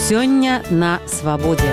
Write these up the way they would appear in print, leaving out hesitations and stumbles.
Сёння на свабодзе.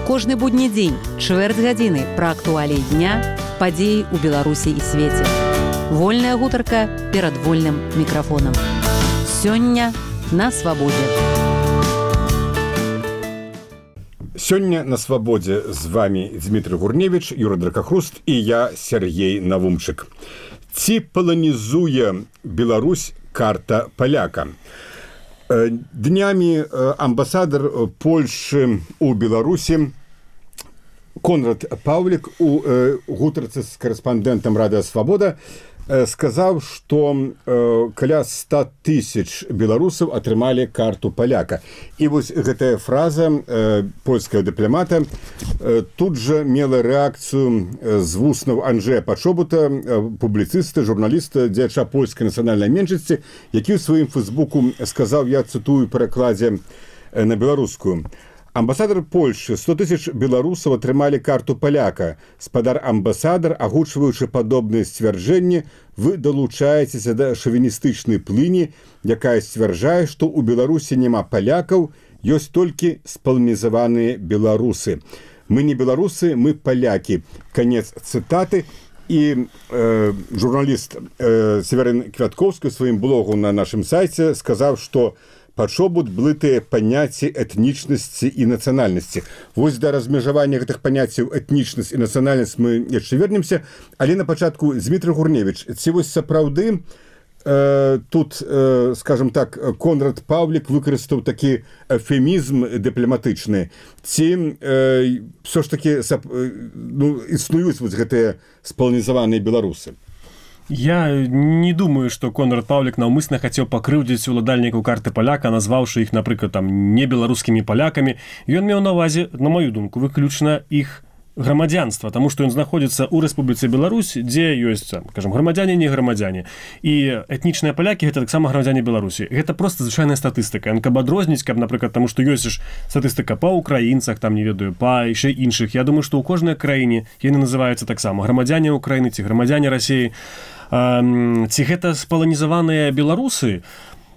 Кожны будні дзень, чвэрць гадзіны пра актуаліі дня, падзеі ў Беларусі і свеце. Вольная гутарка перад вольным мікрафонам. Сёння на свабодзе. Сёння на свабодзе з вами Дмітрый Гурневіч, Юра Дракахруст і я, Сергей Навумчык. Ці паланізуе Беларусь карта паляка? Днямі амбасадар Польшы ў Беларусі Конрад Паўлік у гутарцы з карэспандэнтам Радыё Свабода сказаў, што каля 100 000 беларусаў атрымалі карту паляка. І вось гэтая фраза польскага дыпламата тут жа мела рэакцыю з вуснаў Анджэя Пачобута, публіцыста, журналіста, дзеяча польскай нацыянальнай меншасці, які ў сваім фэйсбуку сказаў, я цытую перакладзе на беларускую: амбасадар Польшы, 100 000 беларусаў атрымалі карту паляка. Спадар-амбасадар, агучваючы падобныя сцвярджэнні, вы далучаецеся да шавіністычнай плыні, якая сцвярджае, што ў Беларусі няма палякаў, ёсць толькі спаланізаваныя беларусы. Мы не беларусы, мы палякі. Канец цытаты. І журналіст Северын Квяткоўскі ў сваім блогу на нашым сайце сказаў, што Пачобут блытыя паняцці этнічнасці і нацыянальнасці. Вось да размежавання гэтых паняццяў этнічнасць і нацыянальнасць мы яшчэ вернемся, але на пачатку Дмітрый Гурневіч, ці вось сапраўды тут, скажем так, Конрад Паўлік выкарыстаў такі эвфемізм дыпламатычны, ці ўсё ж такі існуюць вось гэтыя спаланізаваныя беларусы? Я не думаю, што Конрад Паўлік наўмысна хацеў пакрыўдзіць уладальнікаў карты паляка, назваўшы іх, напрыклад, не беларускімі палякамі. Ён меў на ўвазе, на маю думку, выключна іх грамадзянства, таму што ён знаходзіцца ў Рэспубліцы Беларусь, дзе ёсць, скажам, грамадзяне, не грамадзяне. І этнічныя палякі — гэта таксама грамадзяне Беларусі. Гэта проста звычайная статыстыка. Каб адрозніць, каб, напрыклад, таму што ёсць статыстыка па ўкраінцах, там, не ведаю, па яшчэ іншых. Я думаю, што ў кожнай краіне яны называюцца таксама грамадзяне Украіны ці грамадзяне Расіі. Ці гэта спаланізаваныя беларусы?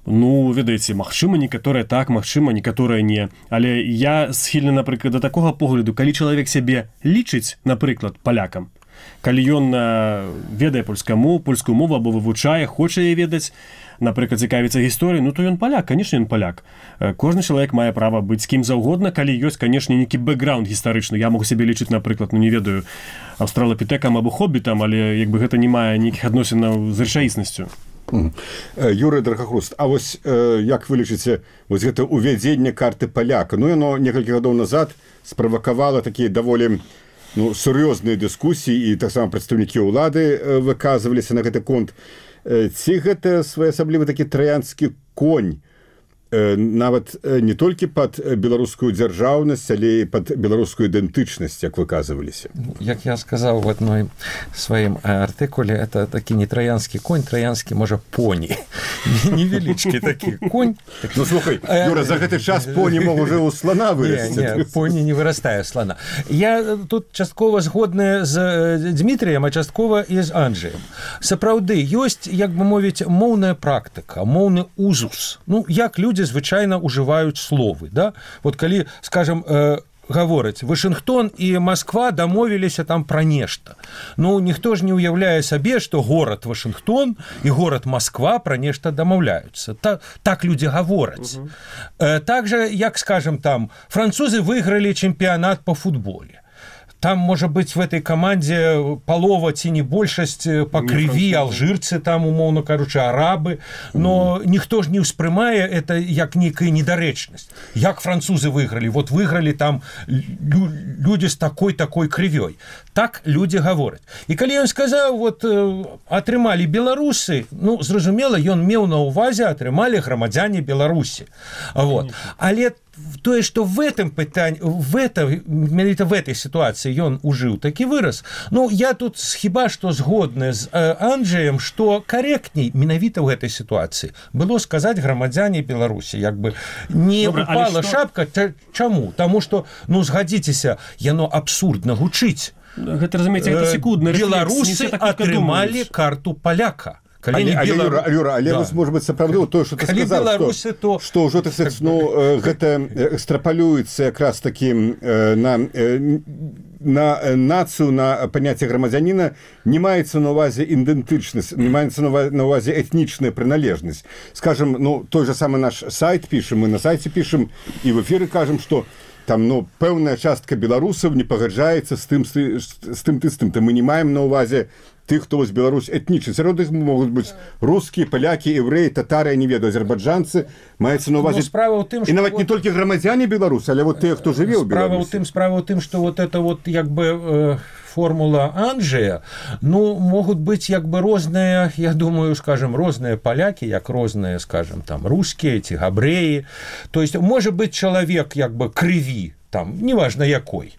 Ну, ведаеце, магчыма, некаторыя так, магчыма, некаторыя не. Але я схільны, напрыклад, да такога погляду, калі чалавек сябе лічыць, напрыклад, палякам, калі ён ведае польскую мову або вывучае, хоча яе ведаць, напрыклад, цікавіцца гісторыяй, ну то ён паляк, канешне, ён паляк. Кожны чалавек мае права быць кім заўгодна, калі ёсць, канешне, нейкі бэкграунд гістарычны. Я могу сябе лічыць, напрыклад, ну не ведаю, аўстралапітэкам або хоббітам, але як бы гэта не мае нейкіх адносінаў з рэчаіснасцю. Юрый Дракахруст, а вось як вы лічыце вось гэта увядзенне карты паляка? Ну, яно некалькі гадоў назад справакавала такія даволі сур'ёзныя дыскусіі, і таксама прадстаўнікі ўлады выказваліся на гэты конт. Ці гэта своеасаблівы такі траянскі конь, нават не толькі пад беларускую дзяржаўнасць, але і пад беларускую ідэнтычнасць, як выказваліся? Як я сказаў в адной сваім артыкуле, это такі не траянскі конь, траянскі, можа, поні. Невялічкі такі конь. Ну, слухай, Юра, за гэты час поні мог уже ў слана вырасці. Не, поні не вырастае слана. Я тут часткова згодная з Дмітрыем, а часткова і з Анджэем. Сапраўды, ёсць, як бы мовіць, моўная практыка, моўны узус. Ну, як людзі звычайна ўжываюць словы, да? Вот калі, скажем, гавораць, Вашынгтон і Масква дамовіліся там пра нешта. Ну, ніхто ж не ўяўляе сабе, што горад Вашынгтон і горад Масква пра нешта дамаўляюцца. Так людзі гавораць. Так жа, як, скажем, там, французы выйгралі чэмпіянат па футболе. Там, можа быць, в этой камандзе палова ці не большасць па крыві, алжырцы там, умоўна кажучы, арабы, но ніхто ж не ўспрымае это як нейкая недарэчнасць. Як французы выйгралі? Вот выйгралі там людзі з такой крывёй. Так людзі гавораць. І калі ён сказаў, вот атрымалі беларусы, ну, зразумела, ён меў на ўвазе, атрымалі грамадзяне Беларусі. Вот. Але тое, што в этом пытанні, менавіта в этой ситуации ён ужыў такі выраз. Ну, я тут хіба што згодны з Анджэем, што карэктней менавіта ў гэтай ситуации было сказаць грамадзяне Беларусі. Як бы не упала шапка. Чаму? Таму што, ну, згадзіцеся, яно абсурдна гучыць. Гэта, разумееце, гэта секундна. Беларусы атрымалі карту паляка. Юра, але вось, может быть, сапраўды тое, што ты сказаў, што ўжо, так сказать, гэта экстрапалюецца якраз такі на нацыю, на паняцце грамадзяніна, не маецца на ўвазе ідэнтычнасць, не маецца на ўвазе этнічная прыналежнасць. Скажем, той же самы наш сайт пішам, мы на сайце пішам і в эфіры кажам, што там, пэўная частка беларусаў не пагаджаецца з тым. То мы не маем на ўвазе тых, хто вось Беларусь этнічны. Сярод іх могуць быць рускія, палякі, еврэі, татары, я не ведаю, азербайджанцы. Маецца на ўвазе... І нават не толькі грамадзяне Беларусі, але вот тыя, хто жыве ў Беларусі. Справа ў тым, што вот это вот як бы формула Анджея, могут быть як бы розныя, я думаю, скажем, розныя палякі, як розныя, скажем, там, рускія ці габрэі. То есть, может быть, чалавек як бы крыві, там, неважно якой,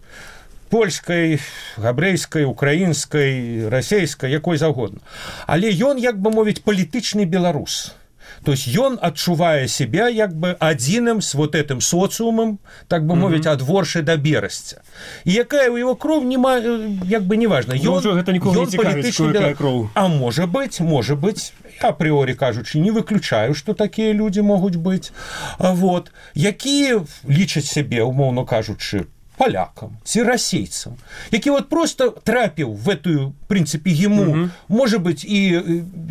польскай, габрэйскай, украінскай, расейскай, якой заўгодна. Але ён, як бы мовіць, палітычны беларус. То есть ён адчувае себя як бы адзіным с вот этим социумом, так бы мовіць, ад Воршы да Берасця. І якая ў его кров, як бы неважно. Ён палітычны беларус. А может быть, я априори кажучи, не выключаю, что такие люди могут быть. Вот. Якія лічаць себе, умоўно кажучи, полякам ці расейцам, які вот просто трапіў в эту, в принципе, ему, может быть, і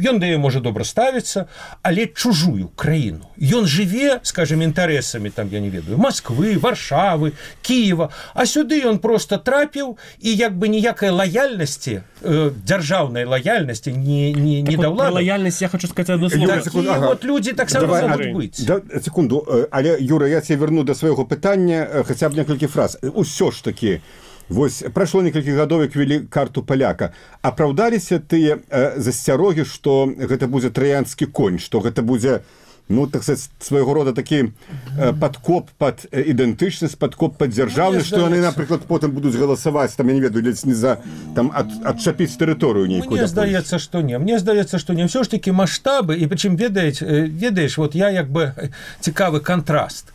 ён да можа добра ставіцца, але чужую краіну. Ён жыве, скажем, інтарэсамі, там, я не ведаю, Москвы, Варшавы, Киева, а сюды ён просто трапіў, і як бы ніякай лаяльнасці, дзяржаўнай лаяльнасці не да ўлады. Лаяльнасць, я хочу сказаць одно слово. Такія вот людзі таксама могуць быць. Секунду, але, Юра, я тебе верну до свайго пытання хаця б некалькі фраз. Усё ж таки, вось прайшло некалькі гадоў, як ввели карту паляка. Апраўдаліся тыя засцярогі, што гэта будзе траянскі конь, што гэта будзе, так сказать, свайго рода такі падкоп пад ідэнтычнасць, падкоп пад дзяржаўнасць, што яны, напрыклад, потым будуць галасаваць, там, я не ведаю, не за там адчапіць тэрыторыю нейкую. Мне здаецца, што не. Мне здаецца, што не. Всё ж такі маштабы, і прычым ведаеш, вот я як бы цікавы контраст.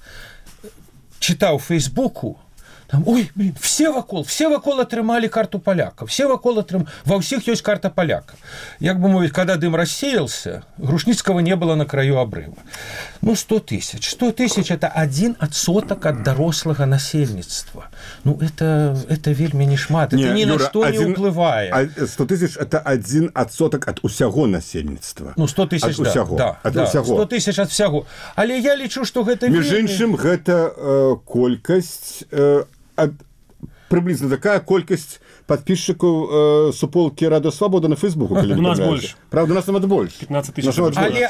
Чытаў в Фейсбуку, там, ой, блин, все вакол атрымалі карту паляка, ва ўсіх ёсць карта паляка. Як бы мовіць, когда дым рассеялся, Грушніцкага не было на краю обрыва. 100 тысяч. 100 тысяч это 1% от дарослага насельніцтва. Это вельмі не шмат, это ни на что не ўплывае. 100 тысяч это 1% от усяго насельніцтва. 100 тысяч, да. 100 тысяч от всяго. Але я лічу, што гэта вельмі... Між іншым, гэта колькасць приблизно такая колькасць подписчиков суполки Радио Свобода на Фейсбуку. У нас больше. Правда, у нас нават больше. 15 тысяч.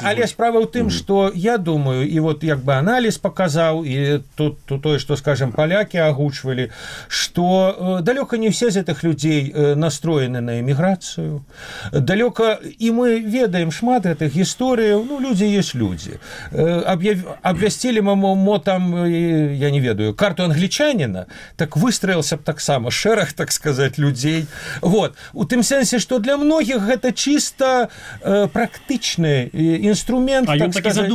Але справа ў тым, што я думаю, і вот як бы аналіз паказаў, і тут тое, што, скажем, палякі агучвалі, што далёка не все з гэтых людзей настроены на эміграцыю. Далёка, і мы ведаем шмат гэтых гісторыяў, людзі ёсць людзі. Абвясцілі мо там, я не ведаю, карту англічаніна, так выстроился б таксама шэраг, так сказать, людзей. Вот. У тым сэнсе, што для многіх гэта чыста практычны інструмент, так сказать,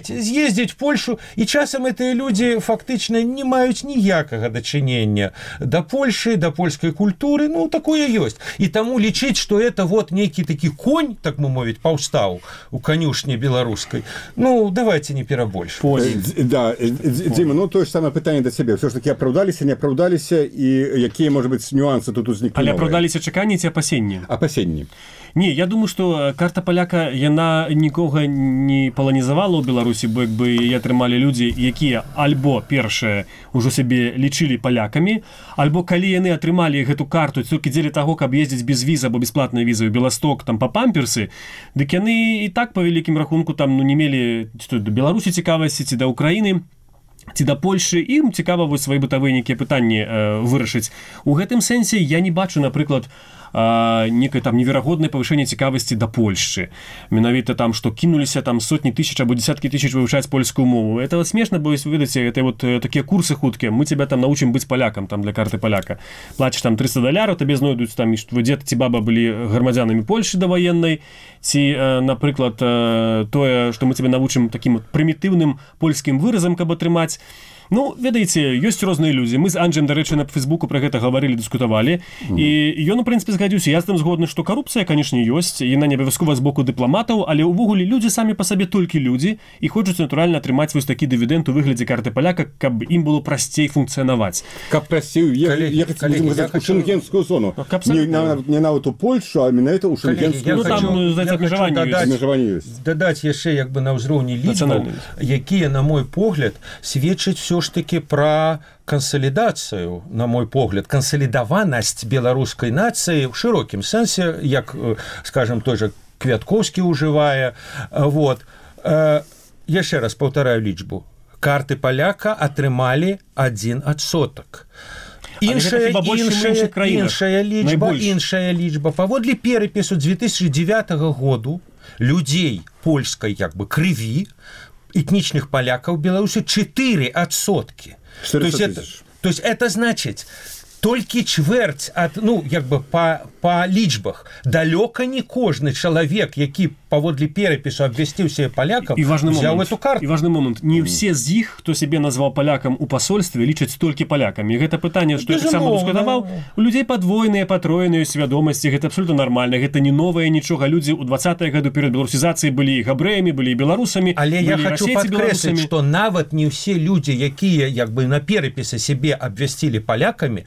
з'ездзіць в Польшу, і часам гэтыя людзі фактычна не маюць ніякага дачынення да Польшы, да польскай культуры, такое ёсць. І таму лічыць, што это вот нейкі такі конь, так мы мовіць, паўстаў у канюшні беларускай. Давайте не перабольшваць. Да, Дзіма, тое ж самае пытанне да цябе. Ўсё ж такі апраўдаліся, не апраўдаліся, і якія, может быть, нюансы тут узніклі новыя? Але апраўдаліся чаканні ці апасенні? Апасенні. Не, я думаю, што карта паляка, яна нікога не паланізавала ў Беларусі, бо як бы яе атрымалі людзі, якія альбо першае ўжо сябе лічылі палякамі, альбо калі яны атрымалі гэту карту толькі дзеля таго, каб ездзіць без візы або бесплатнай візы ў Беласток, там па памперсы, дык яны і так па вялікім рахунку там не мелі да Беларусі цікавасці ці да Украіны, ці да Польшы, ім цікава вось свае бытавыя нейкія пытанні вырашыць. У гэтым сэнсе я не бачу, напрыклад, некае там неверагоднае павышэнне цікавасці да Польшчы. Менавіта там, што кінуліся там сотні тысяч або десяткі тысяч вывучаць польскую мову. Это смешна, бо вы ведаеце, это вот такія курсы хуткія. Мы тебя там научым быць палякам там для карты паляка. Плачеш там $300, табе знойдуць там, што дзед ці баба былі грамадзянамі Польшы даваеннай, ці, напрыклад, тое, што мы тебе навучым такім прымітыўным польскім выразам, каб атрымаць. Ну, ведаеце, ёсць розныя людзі. Мы з Анджем, дарэчы, на Фейсбуку пра гэта гаварылі, дыскутавалі. І ён, у прынцыпе, згадзіўся. Я з тым згодны, што карупцыя, канешне, ёсць. Яна не абавязкова з боку дыпламатаў, але ўвогуле людзі самі па сабе толькі людзі і хочуць, натуральна, атрымаць вось такі дывідэнт у выглядзе карты паляка, каб ім было прасцей функцыянаваць. Каб прасцей ехаць у шенгенскую зону. Не нават у Польшу, а менавіта ў шенгенскую зону. Там абмежаванне ёсць. Дадаць яшчэ як бы на ўзроўні лічбаў, якія, на мой погляд, сведчаць все ж таки пра кансалідацыю, на мой погляд, кансалідаванасць беларускай нацыі ў шырокім сэнсе, як, скажем, той жа Квяткоўскі ўжывае. Вот. Яшчэ раз паўтараю лічбу. Карты паляка атрымалі 1%. Іншая лічба. Паводле перапісу 2009 году людзей польскай як бы крыві, этнічных палякаў Беларусі 4%. То есть это значит толькі чвэрць ад, ну, як бы па лічбах. Далёка не кожны чалавек, які паводле перапісу абвясціўся палякам, взяў эту карту. І важны момант. Не ўсе з іх, хто сябе назваў палякам у пасольстве, лічаць толькі палякамі. Гэта пытанне, што я таксама дыскутаваў. У людзей падвойныя, патроеныя свядомасці. Гэта абсолютно нармальна. Гэта не новае нічога. Людзі ў 20-е гады перад беларусізацыяй былі і габрэямі, былі і беларусамі. Але я хочу падкрэсліць, што нават не ўсе людзі, якія як бы на перапісы сябе абвясцілі палякамі,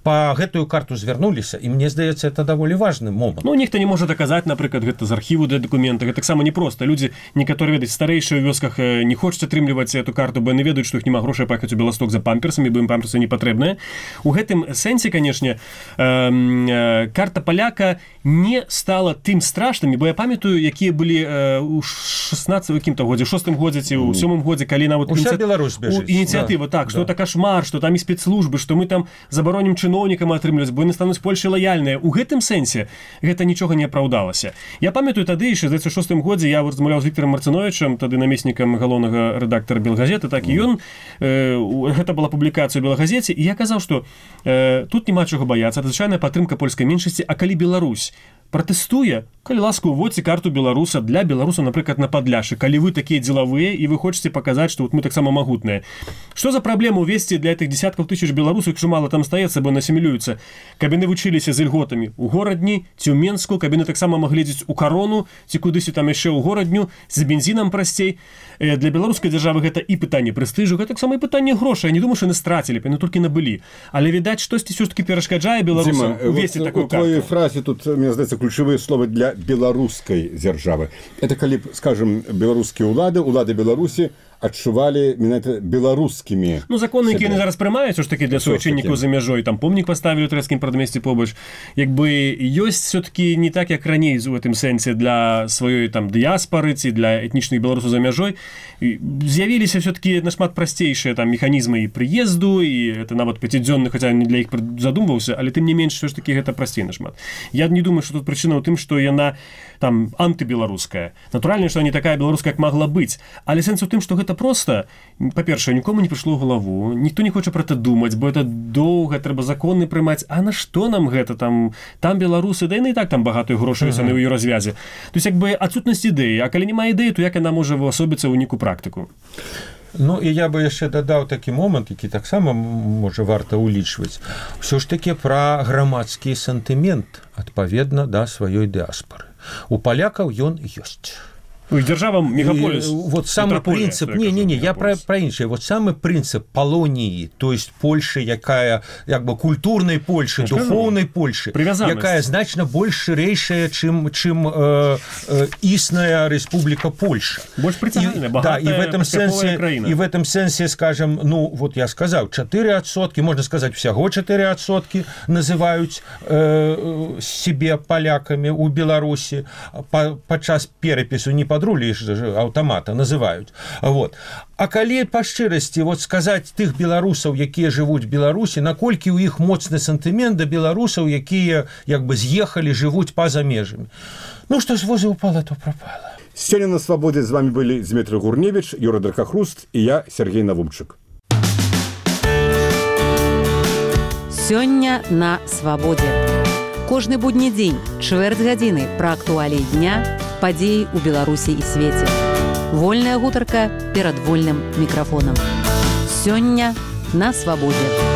па гэтую карту звярнуліся, і мне здаецца, это даволі важны момант. Ну, нехта не можа даказаць, напрыклад, гэта з архіву для дакумента. Гэта таксама непроста. Людзі, некаторыя, ведаць, старэйшыя ў вёсках не хочуць атрымліваць эту карту, бо яны ведаюць, што іх няма грошай паехаць у Беласток за памперсамі, бо ім памперсы не патрэбныя. У гэтым сэнсе, канешне, карта паляка не стала тым страшнымі, бо я памятаю, якія былі ў 16-м годзе, 6-м годзе ці ў 7-м годзе, калі нават ініцыятыва, так, што это кашмар, што там і спецслужбы, што мы там забаронім чыноўнікам атрымліваць, бо яны стануць больш лаяльныя. У гэтым сэнсе гэта нічога не апраўдалася. Я памятаю тады, яшчэ ў 2006 годзе я размаўляў з Віктором Марцыновічам, тады намеснікам галоўнага рэдактара Белгазеты, так і ён, гэта была публікацыя ў Белгазеце, і я казаў, што тут няма чаго баяцца, это звычайная падтрымка польскай меншасці, а калі Беларусь пратэстуе, калі ласка, уводзьце карту беларуса для беларуса, напрыклад, на Падляшы, калі вы такія дзелавыя і вы хочаце паказаць, што вот мы таксама магутныя. Што за праблема ўвесці для гэтых десяткаў тысяч беларусаў, якщо мала там стаецца, бо насімілююцца, каб яны вучыліся з ільготамі ў горадні ці ў Менску, каб яны таксама маглі ездзіць у Карону ці кудысьці там яшчэ ў горадню, з бензінам прасцей. Для беларускай дзяржавы гэта і пытанне прэстыжу, гэта таксама і пытанне грошай. Я не думаю, што яны страцілі, яны толькі набылі. Але, відаць, штосьці ўсё-такі перашкаджае беларусам увесці такую карту. У твоей фразе тут, мне здаецца, ключевые слова для беларускай дзяржавы. Это калі, скажем, беларускія улады Беларусі адчувалі менавіта беларускімі. Ну, законы, якія яны зараз прымаюць, ж такі для суайчыннікаў за мяжой, там помнік паставілі ў трэцкім прадмесці побач. Як бы ёсць все-таки не так, як раней у гэтым сэнсе для сваёй там дыяспары ці для этнічных беларусаў за мяжой. З'явіліся все-таки нашмат прасцейшыя там механізмы і прыезду, і это нават пяцідзённы, хаця не для іх задумваўся, але тым не менш все ж таки гэта прасцей нашмат. Я не думаю, што тут прычына ў тым, што яна там антыбеларуская. Натуральна, што не такая беларуская, як магла быць. Але сэнс у тым, што гэта проста, па-першае, нікому не прыйшло ў галаву, ніхто не хоча пра гэта думаць, бо это доўга, трэба законы прымаць. А на што нам гэта? Там беларусы, да яны і так там багатыя грошы яны ў ёй развязе. То есть, як бы адсутнасць ідэі. А калі няма ідэі, то як яна можа увасобіцца ў нейкую практыку? Ну, і я бы яшчэ дадаў такі момант, які таксама можа варта ўлічваць. Усё ж такі пра грамадскі сантымент адпаведна да сваёй дыаспары. У палякаў ён ёсць. Державам мегаполис. Вот самый принцип, я про іншае. Вот самый принцип Полонии, то есть Польши, якая, як бы, культурной Польши, духовной Польши, якая значно больше ширэйшая, чым існая Республика Польша. Больше притягательная, богатая, и в этом сенсе, скажем, ну, вот я сказал, 4%, можно сказать, всего 4% называют себе поляками у Беларусі падчас перапісу не подрулі аўтамата называюць. Вот. А калі па шчырасці вот сказаць тых беларусаў, якія жывуць в Беларусі, наколькі ў іх моцны сантымент да беларусаў, якія як бы з'ехалі, жывуць па-за межамі. Ну што з воза упала, то пропала. Сёння на Свабодзе з вами былі Дмітрий Гурневич, Юра Дракахруст і я, Сергей Навумчык. Сёння на Свабодзе. Кожны будні дзень, чвэрць гадзіны пра актуаліі дня, падзеі ў Беларусі і свеце. Вольная гутарка перад вольным мікрафонам. Сёння на свабодзе.